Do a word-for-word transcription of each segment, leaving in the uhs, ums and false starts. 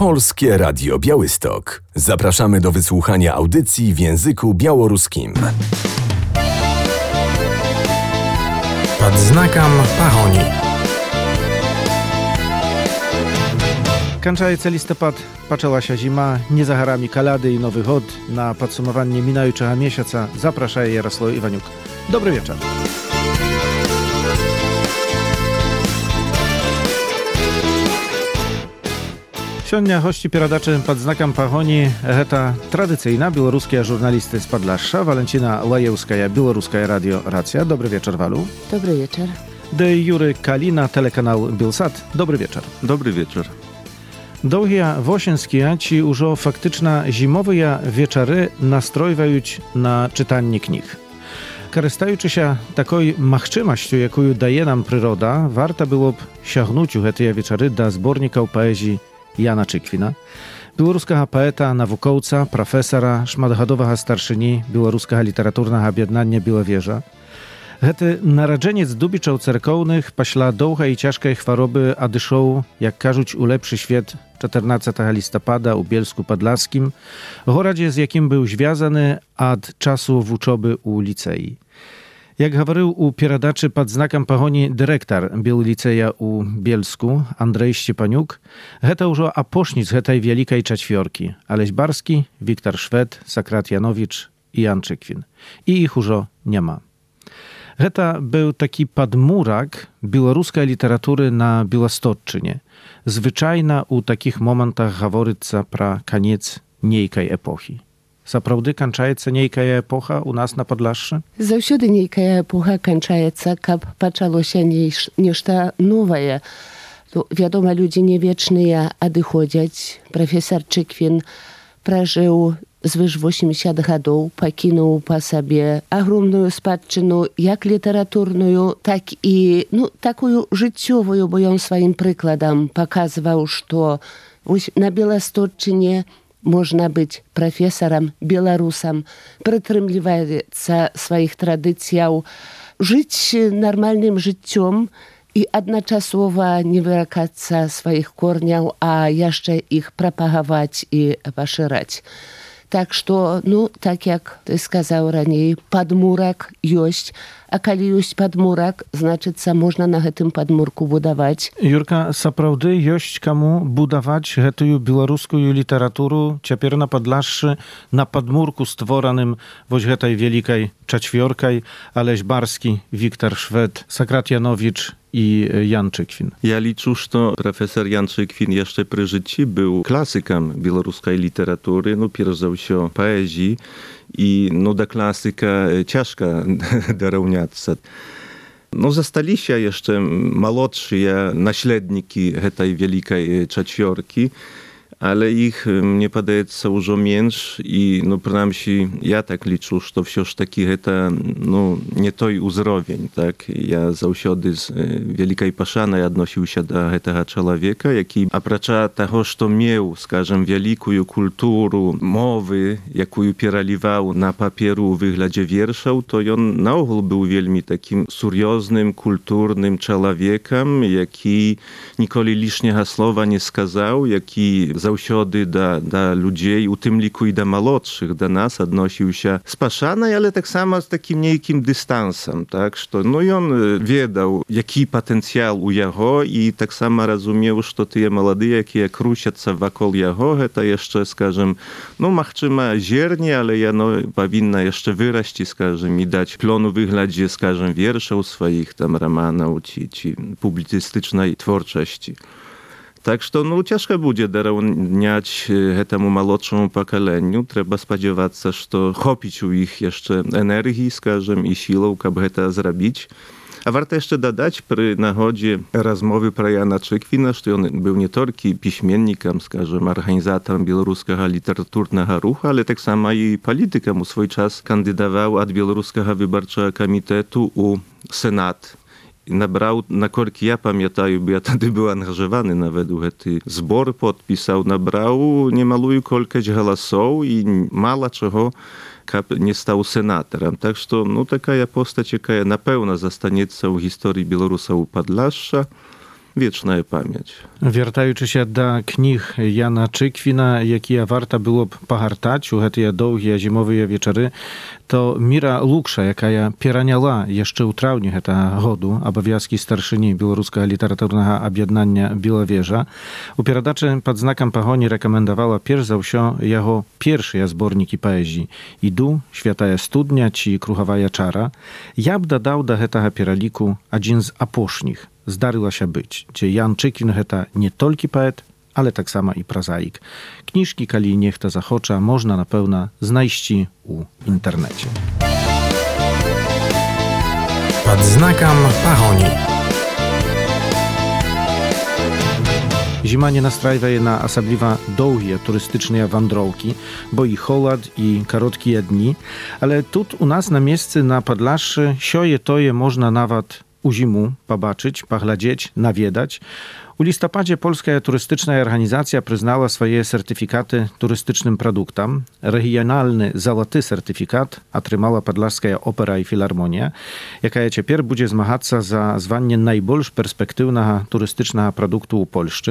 Polskie Radio Białystok. Zapraszamy do wysłuchania audycji w języku białoruskim. Pod znakом pagoni. Kończący listopad, zaczęła się zima, nie za harami kalady i nowy hod. Na podsumowanie minającego miesiąca zaprasza Jarosław Iwaniuk. Dobry wieczór. Сегодня гости передачи под знаком погони это традиcyjna białoruska żurnalisty z Podlasza, Walentina Lajewska, Białoruskie Radio Racja. Dobry wieczór, Walu. Dobry wieczór. De Jury Kalina, telekanał Bilsat. Dobry wieczór. Dobry wieczór. Długie wosienskie ci już faktyczna zimowe wieczory nastrojują na czytanie knih. Korzystając się takiej możliwością, jaką daje nam przyroda, warto byłoby sięgnąć u te wieczory do zbornika poezji Jana Czykwina, białoruskiego poeta, naukowca, profesora, szmatgodowego starszyni białoruskiego literaturnego objednania Białowieża. Hety narodzeniec dubiczał cerkownych paśla długiej i ciężkiej choroby odyszał, jak każуть, u lepszy świat czternastego listopada u Bielsku Podlaskim, gorodzie, z jakim był związany od czasu uczoby u licei. Jak mówił u pieradaczy pod znakiem pogoni dyrektor Bielliceja u Bielsku, Andrzej Szczepaniuk, heta już aposznic hetaj wielkiej czwartki, Aleś Barski, Wiktor Szwed, Sakrat Janowicz i Jan Czykwin. I ich już nie ma. Heta był taki podmurak białoruskiej literatury na Białostocczynie. Zwyczajna u takich momentach gaworyca pra koniec niejkej epoki. Zaprawdy kończąca niejka epocha u nas na Podlaszu? Zawsze niejka epocha kończąca, kab poczęło się nieszta nowe. Wiadomo, ludzie niewieczne odchodzą. Profesor Czykwin przeżył zwyż osiemdziesiąt lat, pokinął po sobie ogromną spadczynę, jak literaturną, tak i no, taką życiową, bo on swoim przykładem pokazywał, że na Białostocczynie można być profesorem, Białorusem, przytrzymywać swoich tradycji, żyć normalnym życiem i jednocześnie nie wyrakać swoich korniów, a jeszcze ich propagować i poszerzać. Tak, że, no, tak jak ty сказал ранее, podmurak jest, a kiedy jest podmurak, znaczy, co można na tym podmurku budować. Jurka, zaprawdy jest komu budować tę białoruską literaturę ciepierw na Podlaszu na podmurku stworzonym w tej wielkiej czwartej, Aleś Barski, Wiktor Szwed, Sakrat Janowicz i Jan Czykwin. Ja liczę, że profesor Jan Czykwin jeszcze przy życiu był klasykiem białoruskiej literatury, no pierwszy się poezji i no do klasyka ciężko dorównać. No zostali się jeszcze młodsi naśladniki tej wielkiej czwartki, ale ich, mnie wydaje się, już mniejszy i no przynajmniej ja tak liczę, że wciąż taki to no, nie той uzrowień, tak? Ja zawsze z wielkiej paszany odnosił się do tego człowieka, jaki oprócz tego, że miał, скажем, wielką kulturę mowy, jaką przeliwał na papieru w wyglądzie wierszów, to on na ogół był wielmi takim serioznym, kulturnym człowiekiem, jaki nigdy liszniego słowa nie skazał, jaki zawsze do, do ludzi, u tym liku i do młodszych, do nas odnosił się z paszanej, ale tak samo z takim niejakim dystansem, tak, że no i on wiedział, jaki potencjał u jego i tak samo rozumiał, że te młode, jakie kruszają się wokół jego, to jeszcze, скажем, no machczyma ziernie, ale ja no powinna jeszcze wyraść, скажем, i dać plonu wyglądzie, скажем, wierszów swoich tam romanów, czy, czy publicystycznej twórczości. Tak, że no, ciężko będzie darowniać temu młodszemu pokoleniu. Trzeba spodziewać się, że chopić u ich jeszcze energii, скажем, i siłą, aby to zrobić. A warto jeszcze dodać przy nachodzie rozmowy pro Jana Czykwina, że on był nie tylko piśmiennikiem, скажем, organizatorem białoruskiego literaturnego ruchu, ale tak samo i politykiem. U swój czas kandydował od Białoruskiego Wyborczego Komitetu u Senat. Nabrał, na korki ja pamiętam, bo ja wtedy był angażowany nawet u ten zbor, podpisał, nabrał niemałą kolkać głosów i mało czego nie stał senatorem. Tak, że no taka postać, jaka na pewno zostanie w historii Białorusów Podlasza. wieczna pamięć. Wярtaючы się do knih Jana Czykвина, jakie warto było pogartać u te długie zimowe wieczory, to Mira Lukša, jaka пераняла jeszcze u trawniu tego году obowiązki starszyni Białoruskiego Literaturnego Objednania Białowieża, u перadaczy pod znakiem pogoni rekomendowała pierw za wsio jego pierwsze zborniki poezji Idu, Święta Studnia czy Kruchowa Czara. Ja bym dodał do tego peraliku jeden z aposznich. Zdaryła się być, gdzie Jan Czykвин to nie tylko poet, ale tak samo i prozaik. Kniżki, kali niech to zachocza, można na pewno znajść u internecie. Pod znakiem pahoni. Zima nie nastrajwa na osobliwa długie turystyczne wędrówki, bo i холод, i krótkie dni, ale tu u nas na miejscu na Podlaszy sioje toje można nawet u zimu pobaczyć, pogladzieć, nawiedać. U listopadzie Polska Turystyczna Organizacja przyznała swoje certyfikaty turystycznym produktom. Regionalny złoty certyfikat otrzymała Podlaska Opera i Filharmonia, jaka teraz będzie zmagać się za zwanie najbardziej perspektywnego turystycznego produktu u Polski.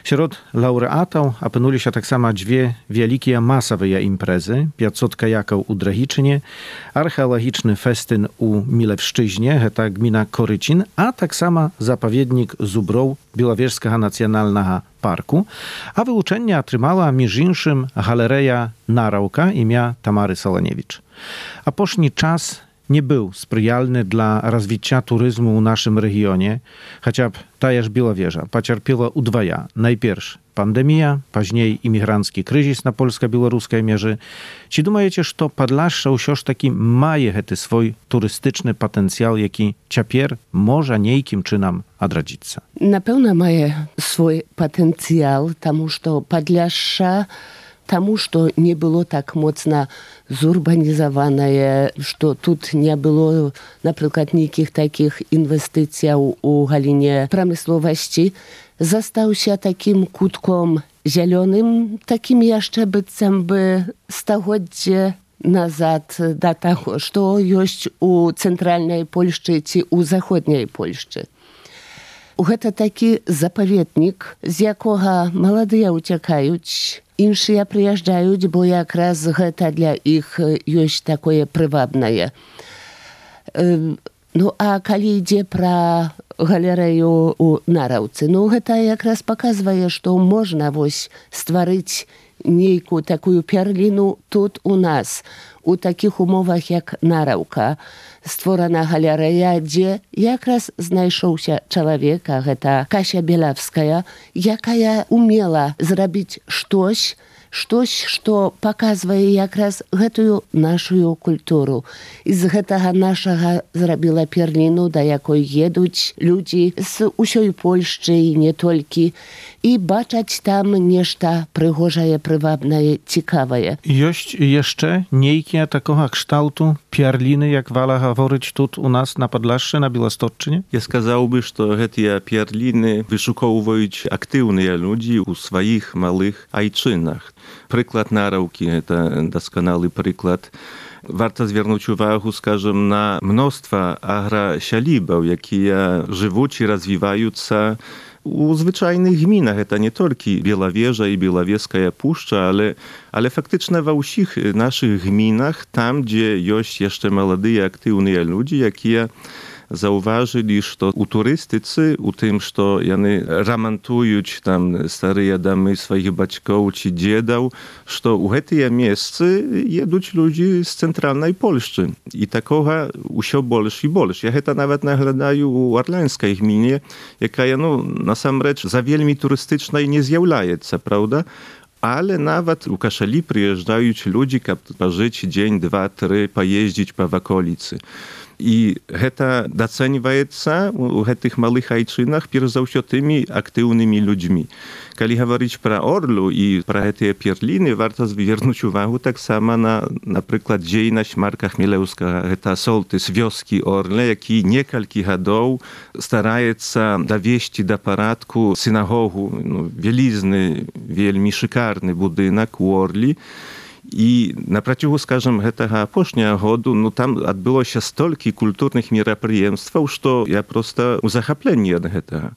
Wśród laureatów opinuli się tak samo dwie wielkie masowe imprezy, pięćset kajaków u Dragiczynie, archeologiczny festyn u Milewszczyźnie, to gmina Korycin, a tak samo zapowiednik Zubrów Białowieżskiego Nacjonalnego Parku, a wyuczenie otrzymała między innymi Galeria Narauka imienia Tamary Soloniewicz. A później czas nie był sprzyjalny dla rozwicia turyzmu w naszym regionie, chociaż tajeż Białowieża pocierpiała udwaja. Najpierw pandemia, później imigrancki kryzys na polsko-białoruskie mierze. Czy думаете, że Podlasze już taki maje ten swój turystyczny potencjał, jaki ciapier może niejkim czynom odradzić? Na pewno maje swój potencjał, тому что Podlasze тому, что не было так мощно зурбанизованное, что тут не было, например, никаких таких инвестиций у галине промысловости, застался таким кутком зеленым, таким jeszcze bycem by стагоддзя назад до того, что есть у центральной Польшчы чи у заходняй Польшчы. Гэта такі запаведнік, з якога маладыя ўцякаюць, іншыя прыязджаюць, бо якраз гэта для іх ёсць такое прывабнае. Ну, а калі ідзе пра галерэю у Нараўцы, ну, гэта якраз паказвае, што можна вось стварыць нейкую такую перліну тут у нас, у такіх умовах, як Нараўка, створана галерэя, дзе якраз знайшоўся чалавек, а гэта Кася Белявская, якая умела зрабіць штось, штось, што паказвае якраз гэтую нашу культуру. І з гэтага нашага зрабіла перліну, да якой едуць людзі з усёй Польшчы і не толькі, і бачаць там нешта прыгожае, прывабнае, цікавае. Ёсць jeszcze niejkie takiego kształtu pierliny, jak wala говорить тут у нас на Podlaszy, na Białostocczynie? Ja сказałby, że te pierliny wyszukują aktywne ludzie u swoich małych ojczynach. Przykład Narauki to doskonały przykład. Warto zwrócić uwagę, скажем, na mnóstwo agrosialibów, jakie żyją i rozwijają się u zwyczajnych gminach. To nie tylko Białowieża i Białowieska Puszcza, ale, ale faktycznie we wszystkich naszych gminach, tam gdzie jest jeszcze młodzi, aktywni ludzie, jakie zauważyli, że u turystycy, u tym, że oni remontują tam stare domy swoich baćków czy dziadów, że u tych miejsc jedą ludzie z centralnej Polski. I takoga usio больше i больше. Ja to nawet naglądają u Orlańskiej gminie, jaka no, na sam rzecz za wielmi turystycznej nie zjawляje się, prawda? Ale nawet u Kaszeli przyjeżdżają ludzie, żeby pożyć dzień, dwa, trzy, pojeździć po okolicy. I to doceniaje się u tych małych ojczynach pierwszy za wszystko tymi aktywnymi ludźmi. Kiedy mówić про Orlu i про te pierliny, warto zwrócić uwagę tak samo na, na przykład dziejność Marka Chmielewskiego. To sołtys wioski Orle, jaki kilka lat staraje się dowieść do porządku synagogu, no, wielizny, wielmi szykarny budynek u Orli. I naprotiv, скажем, этого позднего года, ну, там отбылось столько культурных мероприятий, что я просто захоплен от этого.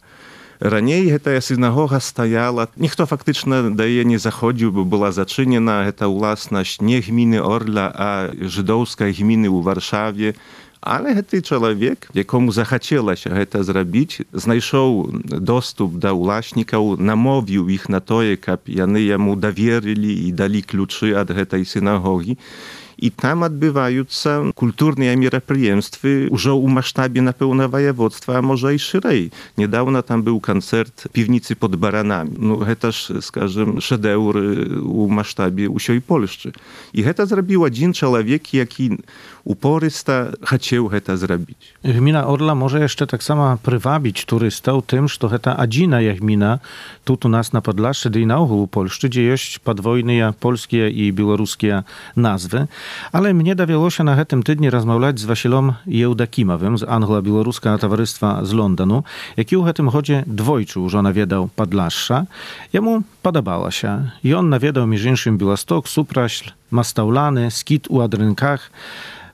Раней гэтая сінагога стаяла. Ніхто фактычна да яе не заходзіў, бо была зачынена. Гэта ўласнасць не гміны Орля, а жыдоўскай гміны ў Варшаве. Але гэты чалавек, якому захацелася гэта зрабіць, знайшоў доступ да ўласнікаў, намовіў іх на тое, каб яны яму даверылі і далі ключы ад гэтай сінагогі. І там адбываюцца культурныя мерапрыемствы ўжо ў маштабе, напэўна, ваяводства, а можа і шырэй. Недаўна там быў канцэрт півніцы под баранамі. Ну, гэта ж, скажем, шэдэўр у маштабе ўсёй Польшчы. І гэта зрабіў адзін чалавек, які упорыста хацеў гэта зрабіць. Gmina Orla może jeszcze tak samo prywabić turystów tym, że to adzina jak gmina tu u nas na Podlaszczy, i na ogół Polsce, gdzie jest podwojne polskie i białoruskie nazwy. Ale mnie dawiało się na tym tygodniu rozmawiać z Wasilom Jełdakimowym z Anglo-Białoruskiego Towarzystwa z Londonu, jaki u tym chodzie dwojczył, że nawiedał Podlaszcza. Jemu podobała się. I on nawiedał między innymi Białystok, Supraśl, Mastaulany, Skit u Adrynkach.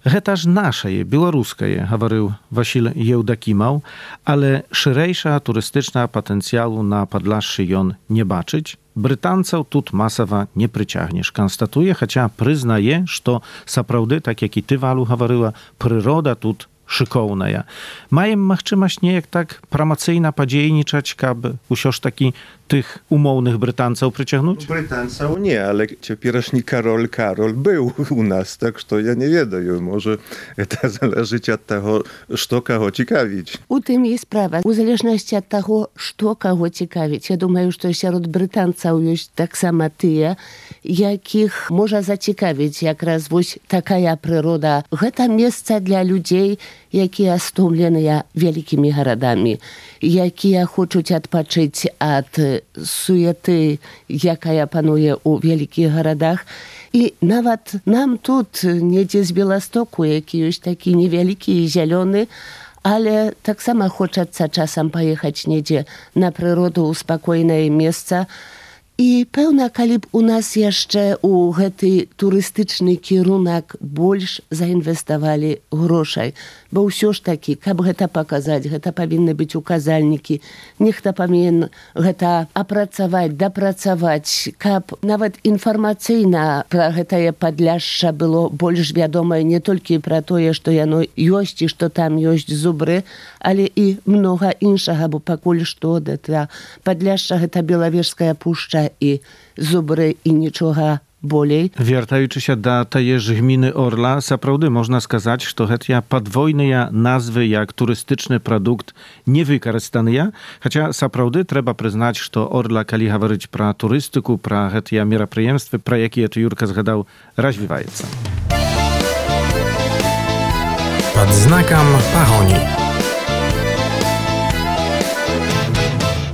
Гэта ж нашае, беларускае, гаварыў Васіль Еўдакімаў, але шырэйшага турыстычнага патэнцыялу на Падлашшы ён не бачыць. Брытанцаў тут масава не прыцягнеш, канстатуе, хаця прызнае, што сапраўды, так як і ты, Валу, гаварыла, прырода тут шыкоўная. Маем магчымасць неяк так прамацыйна падзейнічаць, каб усё ж такі tych umownych Brytanców przyciągnąć? Brytanców nie, ale ciepieraszny Karol Karol był u nas, tak że ja nie wiem, może to zależy od tego, co kogo ciekawić. U tym jest sprawa. W zależności od tego, co kogo ciekawić. Ja думаю, że wśród Brytanców jest tak samo ty, jakich może zaciekawić jak raz właśnie taka przyroda. To miejsce dla ludzi, jakie stłumlone wielkimi gradami, jakie chcą odpocząć od суеты, якая пануе ў вялікіх гарадах. І нават нам тут, недзе з Беластоку, які ёсць такі невялікі і зялёны, але таксама хочацца часам паехаць недзе на прыроду ў спакойнае месца. І пэўна, калі б у нас яшчэ ў гэты турыстычны кірунак больш заінвеставалі грошай. Бо ўсё ж такі, каб гэта паказаць, гэта павінны быць указальнікі, нехта павінен гэта апрацаваць, дапрацаваць, каб нават інфармацыйна пра гэтае Падляшша было больш вядомае не толькі пра тое, што яно ёсць і што там ёсць зубры, але і многа іншага, бо пакуль што гэта Падляшша, гэта Белавежская пушча i zubry i niczego bolej. Wiertaючи się do tej gminy Orla, naprawdę można skazać, że to podwojne nazwy jak turystyczny produkt nie wykorzystane, chociaż naprawdę trzeba przyznać, że Orla, kiedy mówić про turystyku, про te мероприемства, про jakie to Jurka zgadał, rozwija się. Pod znakiem Pahoni.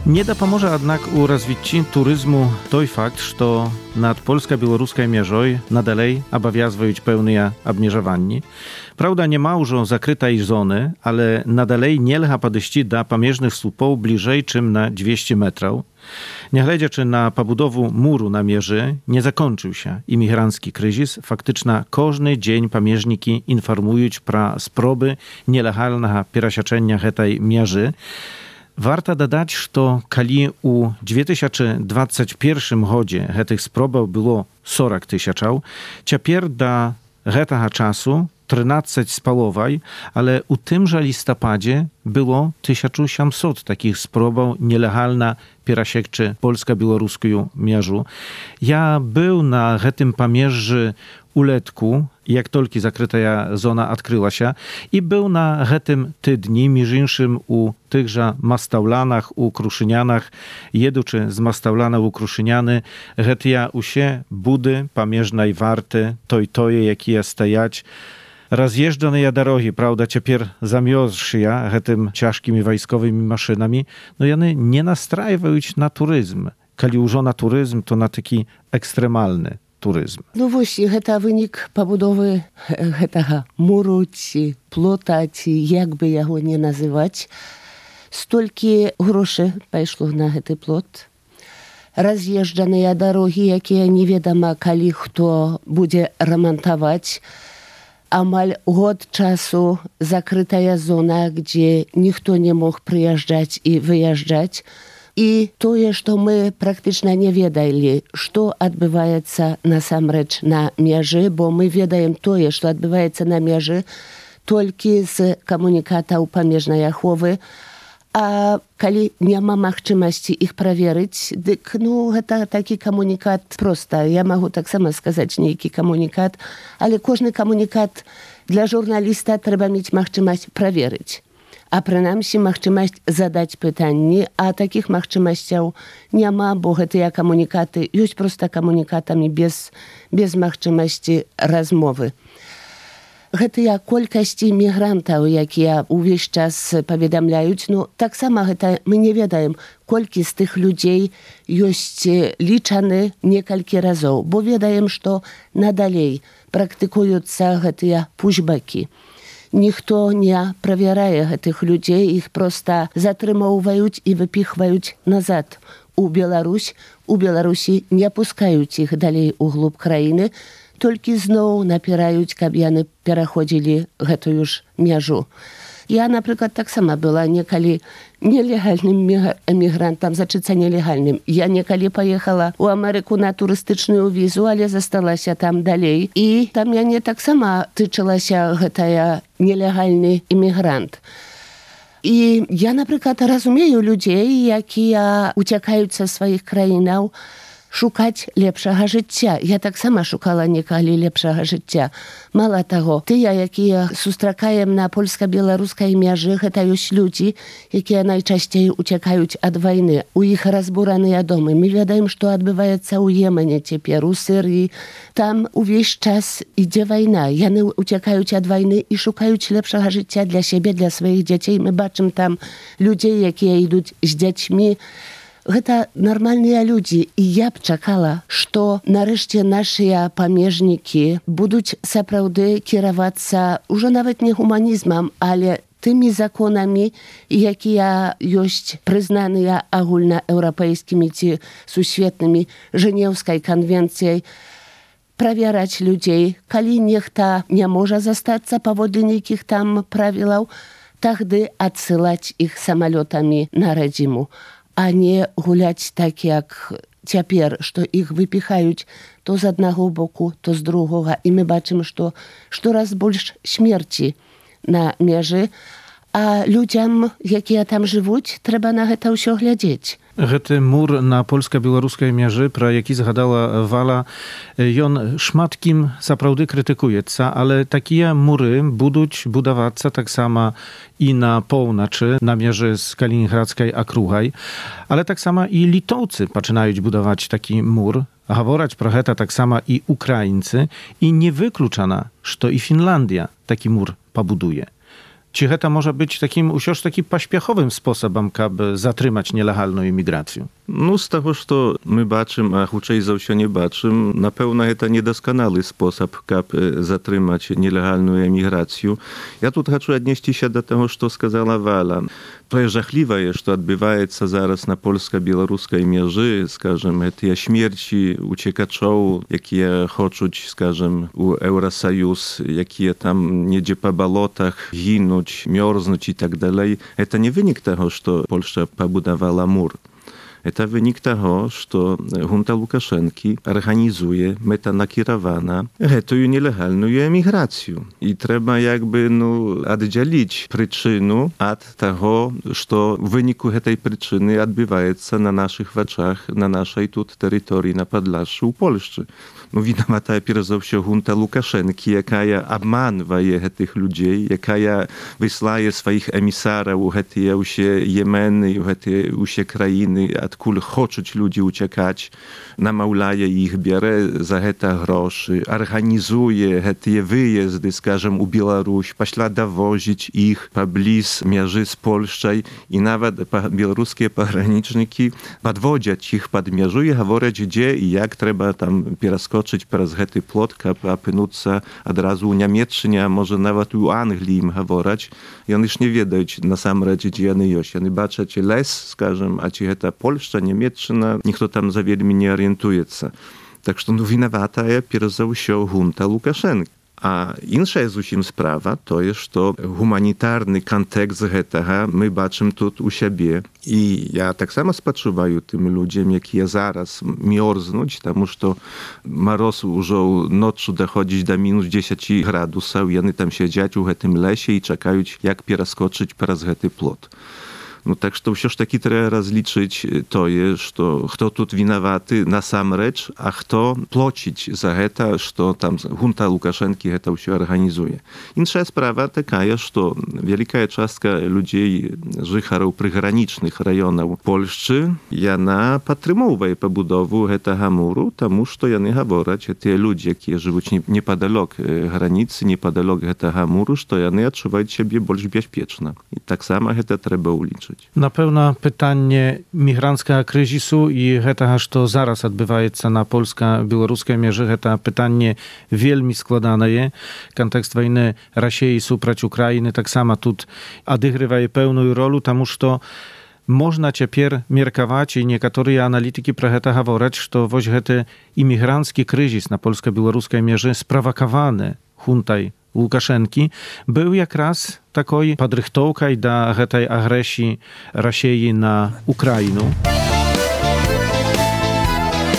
Nie dopomoże jednak u rozwitci turyzmu той fakt, że nad polsko-białoruskiej mierzoj nadalej obowiązują pełne obmierzowanie. Prawda, nie ma już zakrytej zony, ale nadalej nie lecha podejść do pamierznych słupów bliżej czym na dwieście metrów. Nie glediaczy na pobudowę muru na mierzy, nie zakończył się imigrancki kryzys. Faktycznie każdy dzień pamieżniki informują pro sproby nielegalnego przesiaczenia tej mierzy. Warto dodać, że kiedy u dwa tysiące dwudziestym pierwszym godzie tych sprobów było czterdzieści tysięcy, teraz do tego czasu trzynaście spalowej, ale u tymże listopadzie było tysiąc osiemset takich sprobów nielegalna przesiekczy polsko-białoruską mierzu. Ja był na tym pamierzy uletku, jak tylko zakryta zona odkryła się, i był na tym tydni, między innymi u tychże Mastaulanach, u Kruszynianach, jeduczy z Mastaulana u Kruszyniany, getia usie budy pamierznej warty, toj toje, jakie stajać. Rozjeżdżone drogi, prawda, ciepер zamiozszy ja tym ciężkimi wojskowymi maszynami, no one nie nastrajają na turyzm. Kiedy już na turyzm, to na taki ekstremalny turyzm. No właśnie, to wynik pobudowy tego muru, czy plota, czy jakby jego nie nazywać. Stolki groszy poszło na ten plot. Rozjeżdżane drogi, jakie nie wiadomo, kiedy kto będzie remontować. амаль год часу закрытая зона, где никто не мог приезжать и выезжать. И тое, што мы практычна не ведалі, што адбываецца насамрэч на мяжы, бо мы ведаем тое, што адбываецца на мяжы толькі з камунікатаў памежнай аховы. А калі няма магчымасці іх праверыць, дык ну гэта такі камунікат проста. Я магу таксама сказаць нейкі камунікат, але кожны камунікат для журналіста трэба мець магчымасць праверыць. А прынамсі магчымасць задаць пытанні, а такіх магчымасцяў няма, бо гэтыя камунікаты ёсць проста камунікатамі без, без магчымасці размовы. Гэтыя колькасці мігрантаў, якія ўвесь час паведамляюць, ну таксама гэта мы не ведаем, колькі з тых людзей ёсць лічаны некалькі разоў, бо ведаем, што надалей практыкуюцца гэтыя пушбакі. Ніхто не правярае гэтых людзей, іх проста затрымоўваюць і выпіхваюць назад у Беларусь. У Беларусі не пускаюць іх далей у глуб краіны, толькі зноў напіраюць, каб яны пераходзілі гэтую ж мяжу. Я, напрыклад, таксама была некалі нелегальным эмігрантам, зачыцца нелегальным. Я некалі паехала ў Амерыку на турыстычную візу, але засталася там далей. І там мяне таксама тычылася гэтая нелегальны эмігрант. І я, напрыклад, разумею людзей, якія уцякаюць са сваіх краінаў, шукаць лепшага жыцця. Я таксама шукала некалі лепшага жыцця. Мала таго, тыя, якія сустракаем на польска-беларускай мяжы, гэта ёсць людзі, якія найчасцей уцякаюць ад вайны. У іх разбураныя домы. Мы ведаем, што адбываецца ў Йемене цяпер, у Сірыі. Там увесь час ідзе вайна. Яны уцякаюць ад вайны і шукаюць лепшага жыцця для сябе, для сваіх дзяцей. Мы бачым там людзей, якія ідуць з дзяцьмі. Гэта нармальныя людзі, і я б чакала, што нарэшце нашыя памежнікі будуць сапраўды кіравацца ўжо нават не гуманізмам, але тымі законамі, якія ёсць прызнаныя агульнаеўрапейскімі ці сусветнымі Жэнеўскай канвенцыяй, правяраць людзей. Калі нехта не можа застацца паводле нейкіх там правілаў, тагды адсылаць іх самалётамі на радзіму. А не гуляць так, як цяпер, што іх выпіхаюць то з аднаго боку, то з другога. І мы бачым, што штораз больш смерці на мяжы, а людзям, якія там жывуць, трэба на гэта ўсё глядзець. Гэты мур на польска-беларускай мяжы, пра які згадала Вала, ён шмат кім сапраўды крытыкуецца, але такія муры будуць будавацца таксама і на поўначы, на мяжы з калінінградскай акругай, але таксама і літоўцы пачынаюць будаваць такі мур. Гавораць пра гэта таксама і украінцы, і не выключана, што і Фінландія такі мур пабудуе. Ці гэта можа быць такім ўсё ж такі паспяховым спосабам, каб затрымаць нелегальную іміграцыю? Ну, з таго, што мы бачым, а хутчэй за ўсё не бачым, напэўна, гэта недасканалы спосаб, каб затрымаць нелегальную эміграцыю. Я тут хачу аднесціся да таго, што сказала Вала. Тое жахлівае, што адбываецца зараз на польска-беларускай мяжы, скажем, гэтыя смерці уцекачоў, якія хочуць, скажем, у Еўрасаюз, якія там недзе па балотах гінуць, мёрзнуць і так далей. Это не вынік таго, што Польшча пабудавала мур. Это wynik tego, że junta Łukaszenki organizuje metanakierowana гэтую nielegalną emigrację. I trzeba jakby no, oddzielić przyczynę od tego, że w wyniku tej przyczyny odbywa się na naszych oczach, na naszej тут terytorii, na Podlaszu, u Polszczy. No winowata pierwsza za wszystko junta Łukaszenki, jaka obmanuje tych ludzi, jaka wysyłaje swoich emisarów u te Jemeny, u te krainy, odkąd chcą ludzie uciekać, namaulaje ich, bierze za to groszy, organizuje te wyjazdy, скажем, u Białoruś, pośla dowozić ich pobliż mierzy z Polszczej i nawet białoruskie pograniczniki podwodzią ich pod mierzą i mówią, gdzie i jak trzeba tam przeskoczyć przez ten plot, aby opinąć od razu u Niemiecczynie, a może nawet u Anglii im mówić. I oni już nie wiedzą na sam razie, gdzie oni są. Oni baczą les, скажем, a czy to Polska, Niemiecczyna, nikt tam za wiele nie orientuje się. Tak że no winowata jest pierwsza za wszystko junta Łukaszenki. A insza jest zусім sprawa, to jest to humanitarny kontekst гэтага my бачым тут у сябе. I ja tak samo спачуваю tym ludziom, jak ja zaraz miorznuć, тому что mороз уже ночью доходить до minus dziesięć gradusów i oni tam siedzieć u гэтym lesie i czekają, jak перескочить przez гэты plot. No tak, że все ж таки trzeba rozliczyć to jest, że kto tu winowaty na sam rzecz, a kto płacić za to, że tam junta Łukaszenki to все organizuje. Inna sprawa taka jest, że wielka częstka ludzi życharów przygranicznych rejonów Polski, jana podtrzymuje pobudowę tego muru, тому что jany mówią, że te ludzie, którzy żyją niepodalok granicy, niepodalok tego muru, że jany odczuwają siebie bardziej bezpiecznie. I tak samo to trzeba uliczyć. Na pewno pytanie migranckiego kryzysu i tego, co zaraz odbywa się na polsko-białoruskim mierze, to pytanie wielmi składane. Kontekst wojny Rosji suprać Ukrainy tak samo tu odgrywa pełną rolę, тому что można teraz mierkować i niektóre analityki pro to mówią, że właśnie ten imigrancki kryzys na polsko-białoruskim mierze sprowokowany huntaj Łukaszenki był jak raz taką podrychtowką do tej agresji Rosji na Ukrainę.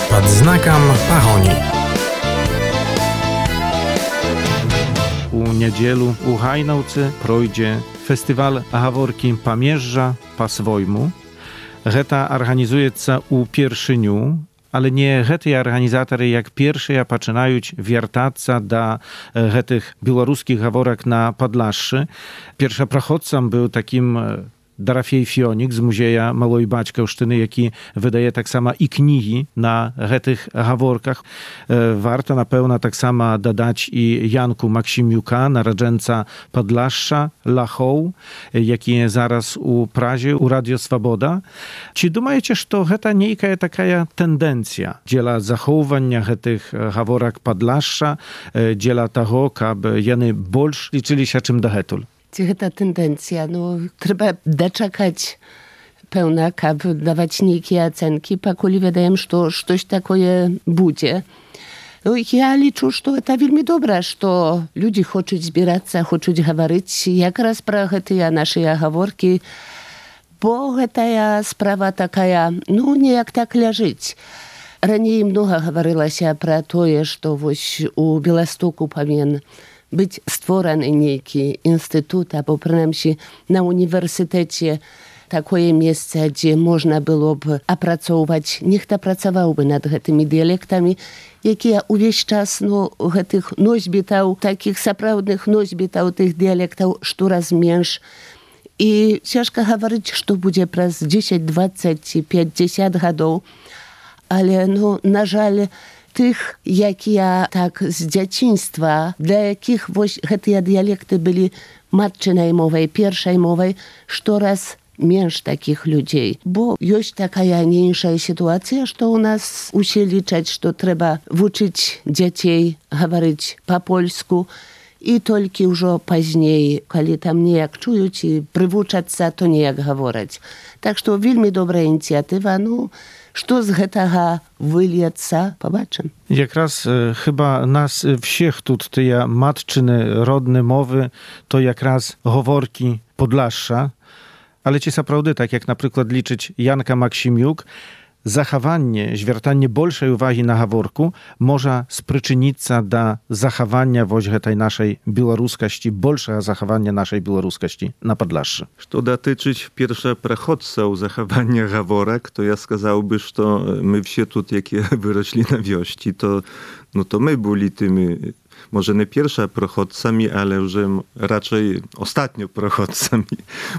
Pod znakiem Paronii. U niedzielu u Hajnowcy projdzie festiwal Gaworki Pamierza po swojmu. Geta organizuje się u pierwszyniu, ale nie te organizatory jak pierwsze zaczynają wiertać do tych białoruskich gaworek na Podlaszczy. Pierwsza prochodcą był takim Darafiej Fionik z Muzeja Małej Baćkowsztyny, jaki wydaje tak samo i księgi na tych gaworkach. Warto na pewno tak samo dodać i Janku Maksimiuka, narodzenca Podlaszcza, Lachą, jaki jest zaraz u Prazie, u Radio Swoboda. Czy думаете, że to jest niejaka taka tendencja dziela zachowania tych gaworek Podlaszcza, dziela tego, aby jeny больше liczyli się czym do hetul? Ta tendencja, no, trzeba doczekać pełna, aby dawać niejakie ocenki, pakuli wydaje, że coś takiego będzie. No, ja liczę, że to wielmi dobre, że ludzie chcą zbierać się, chcą mówić jak raz pro te nasze gaworki, bo ta sprawa taka, no nie jak tak leżeć. Ранее много говорилось про то, что у Białegostoku powinien być stworzony niejaki instytut, albo przynajmniej na uniwersytecie takie miejsce, gdzie można byłoby opracować, niech to pracowałby nad tymi dialektami, jakie uwieś czas no, tych nośbitał, takich naprawdę nośbitał tych dialektów, coraz mniejsz. I ciężko mówić, że będzie przez dziesięć, dwadzieścia, pięćdziesiąt lat, ale no, na żal tych, jak ja tak z dzieciństwa, dla jakich właśnie te dialekty byli matczynej mowej, pierwszej mowej, coraz mniejsz takich ludzi. Bo jest taka mniejsza sytuacja, że u nas musi liczyć, że trzeba uczyć dzieci mówić po polsku i tylko już później, kiedy tam niejak czują i przywuczać się, to niejak mówić. Tak, że wielmi dobra inicjatywa, no, Что z tego wyliется, pobaczymy. Jak raz e, chyba nas wszystkich тут te matczyny rodne mowy, to jak raz gaworki Podlaszcza, ale ci naprawdę tak jak na przykład liczyć Janka Maksimiuk, zachowanie, zwiertanie большej uwagi na gaworku może sprzyczynić się do zachowania właśnie tej naszej białoruskości, большego zachowania naszej białoruskości na Podlaszczy. Co dotyczyć pierwszych przechodców zachowania gaworek, to ja сказałby, że my wszyscy tu, jakie wyrośli na wiości, to, no to my byli tymi, może nie pierwsza prochodcami, ale już raczej ostatnio prochodcami,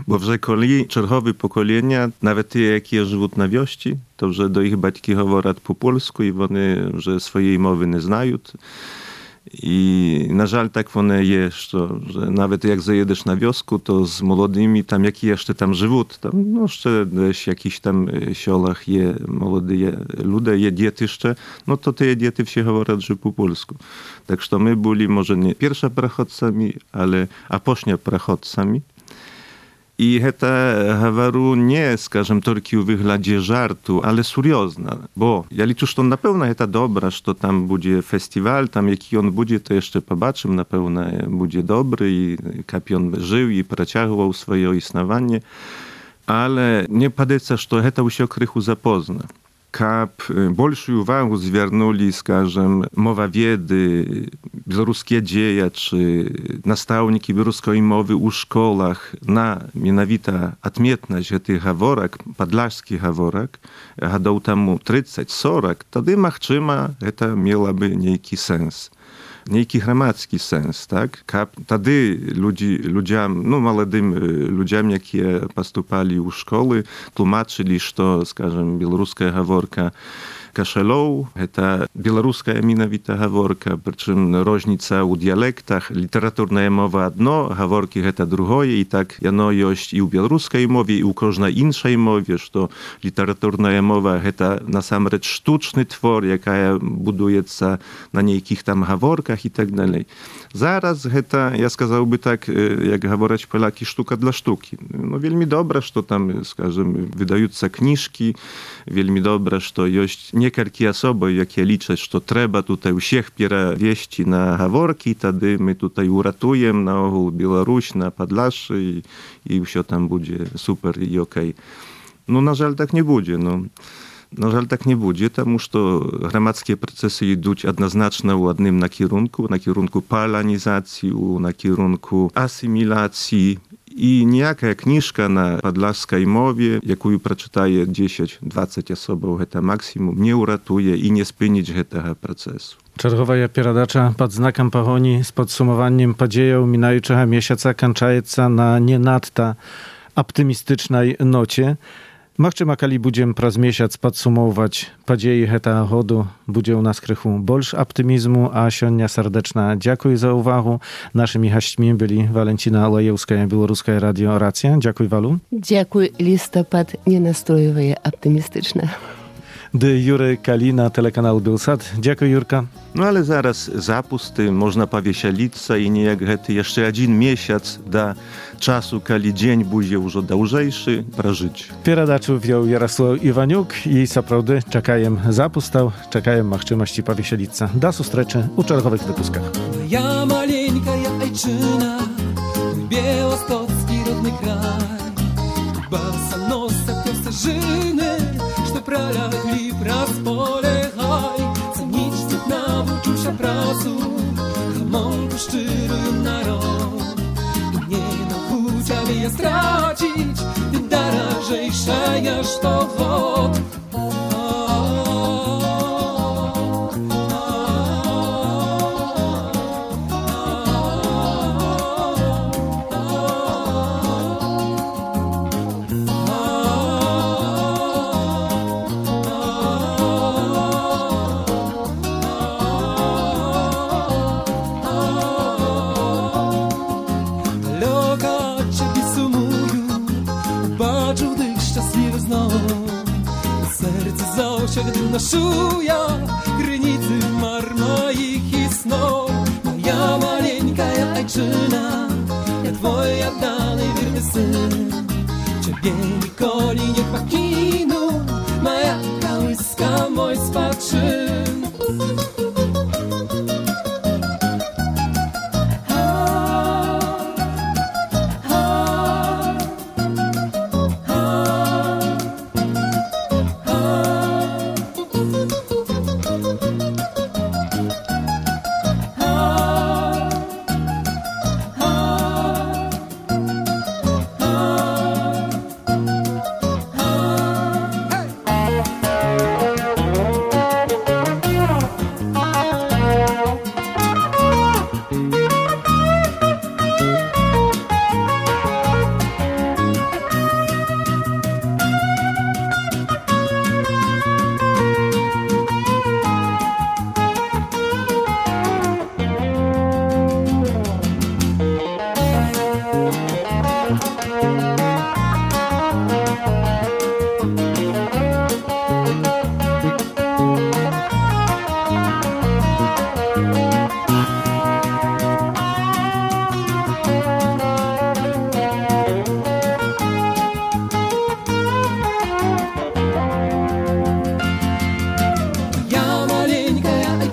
bo że koli czerwowe pokolenia, nawet te, jakie żyją na wiości, to że do ich batki mówią po polsku i one, że swojej mowy nie znają. I na żal tak one jest, że nawet jak zajedziesz na wiosku, to z młodymi tam, jakie jeszcze tam żyją, tam no jeszcze w jakichś tam siolach je młode ludzie, je dzieci jeszcze, no to te dzieci wsie mówią, że po polsku. Tak, że my byli może nie pierwsza prachodcami, ale a pośnia prachodcami. I heta havaru nie, скажем, только w wyglądzie żartu, ale seriozna, bo ja liczę, że na pewno heta dobra, że tam będzie festiwal, tam jaki on będzie, to jeszcze pobaczymy, na pewno będzie dobry i kapion żył i przeciągał swoje istnienie, ale nie padeca, że heta się krychu zapozna. Kap большую увагу zвернули, скажем, mowawiedy, białoruskie dzieje, czy nastawniki białoruskiej mowy u szkołach na mianowita odmietność tych haworek, podlaskich haworek, gadał temu trzydzieści czterdzieści, wtedy machczyma, to miałoby niejaki sens. Niejaki gramadzki sens, tak? Kap, wtedy ludzi, ludziom, no młodym ludziom, jakie postupali u szkoły, tłumaczyli, że, скажем, białoruska haworka kaszelow, to białoruska mianowita haworka, przy czym różnica u dialektach, literaturna mowa jedno, haworki to drugie i tak jano jest i u białoruskiej mowie, i u każdej innej mowie, że literaturna mowa to na sam rzecz sztuczny twór, jaka buduje się na niejkich tam haworkach i tak dalej. Zaraz to, ja сказałby tak, jak говорять Polaki, sztuka dla sztuki. No wielmi dobre, że tam, скажем, wydają się książki, wielmi dobre, że jest niektóre osoby, jakie liczą, że trzeba tutaj wszystkich przewieźć na haworki, wtedy my tutaj uratujemy na ogół Białoruś, na Podlasie i, i wszystko tam będzie super i okej. No na żal tak nie będzie, no. Na żal tak nie będzie, потому что громадские процессы идут однозначно w jednym na kierunku, na kierunku polonizacji, na kierunku asymilacji. I niejaka książka na podlaskiej mowie, jaką przeczytaje dziesięć dwadzieścia osób, to maksimum, nie uratuje i nie spynić tego procesu. Czerwowa pieradacza pod znakiem pahoni z podsumowaniem podziejów minającego miesiąca kończąca na nie nadta optymistycznej nocie. Machczyma, kali będziemy przez miesiąc podsumować podzieje tego chodu, będzie u nas krychu больше optymizmu, a sionia serdeczna dziękuję za uwagę. Naszymi gośćmi byli Walentina Olejewska, Białoruska Radio Racja. Dziękuję, Walu. Dziękuję, listopad nie nastrojuje optymistyczne. Dy Jury Kalina, telekanał Bielsat. Dziękuję, Jurka. No ale zaraz zapusty, można powiesielić i niejak hety jeszcze jeden miesiąc do czasu, kiedy dzień będzie już dłużejszy, prażyć. Pieradaczu wziął Jarosław Iwaniuk i zaprawdy czekajem zapustał, czekajem machczymości powiesielica. Do sustreczy u czerwowych wypuskach. Ja maleńka, ja ojczyna, mój białostocki rodny kraj. Basa nosa, piosenżyny, что пролягли праз поле хай. Цениць тут навучыўся працу, гамонку шчырую народ. І не магу цябе я страціць, ты даражэйшая штогод. Gdy naszuja granicy mar moich i snów. Moja maleńka, ja ojczyna, ja twoja dany wierny syn. Ciebie nikoli nie pakinu, moja kołyska, mój spaczyn.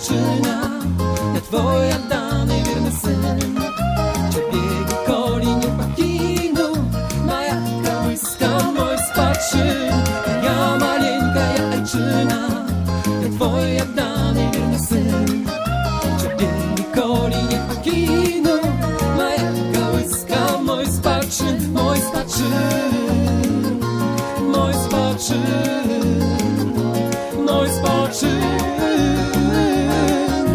ajczyna, ja twoja dany wierny syn. Ciebie nikoli nie pakinu, moja kołyska, mój spaczyn. Ja maleńka, ja ajczyna, ja twoja dany wierny syn. Ciebie nikoli nie pakinu, moja kołyska, mój spaczyn, mój spaczyn. Mój spaczyn, mój spaczyn,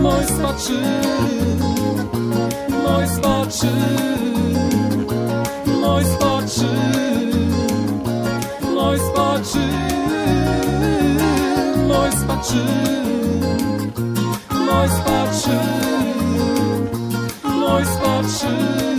mój spaczyn, mój spaczyn, mój spaczyn, mój spaczyn, mój spaczyn, mój spaczyn, mój spaczyn.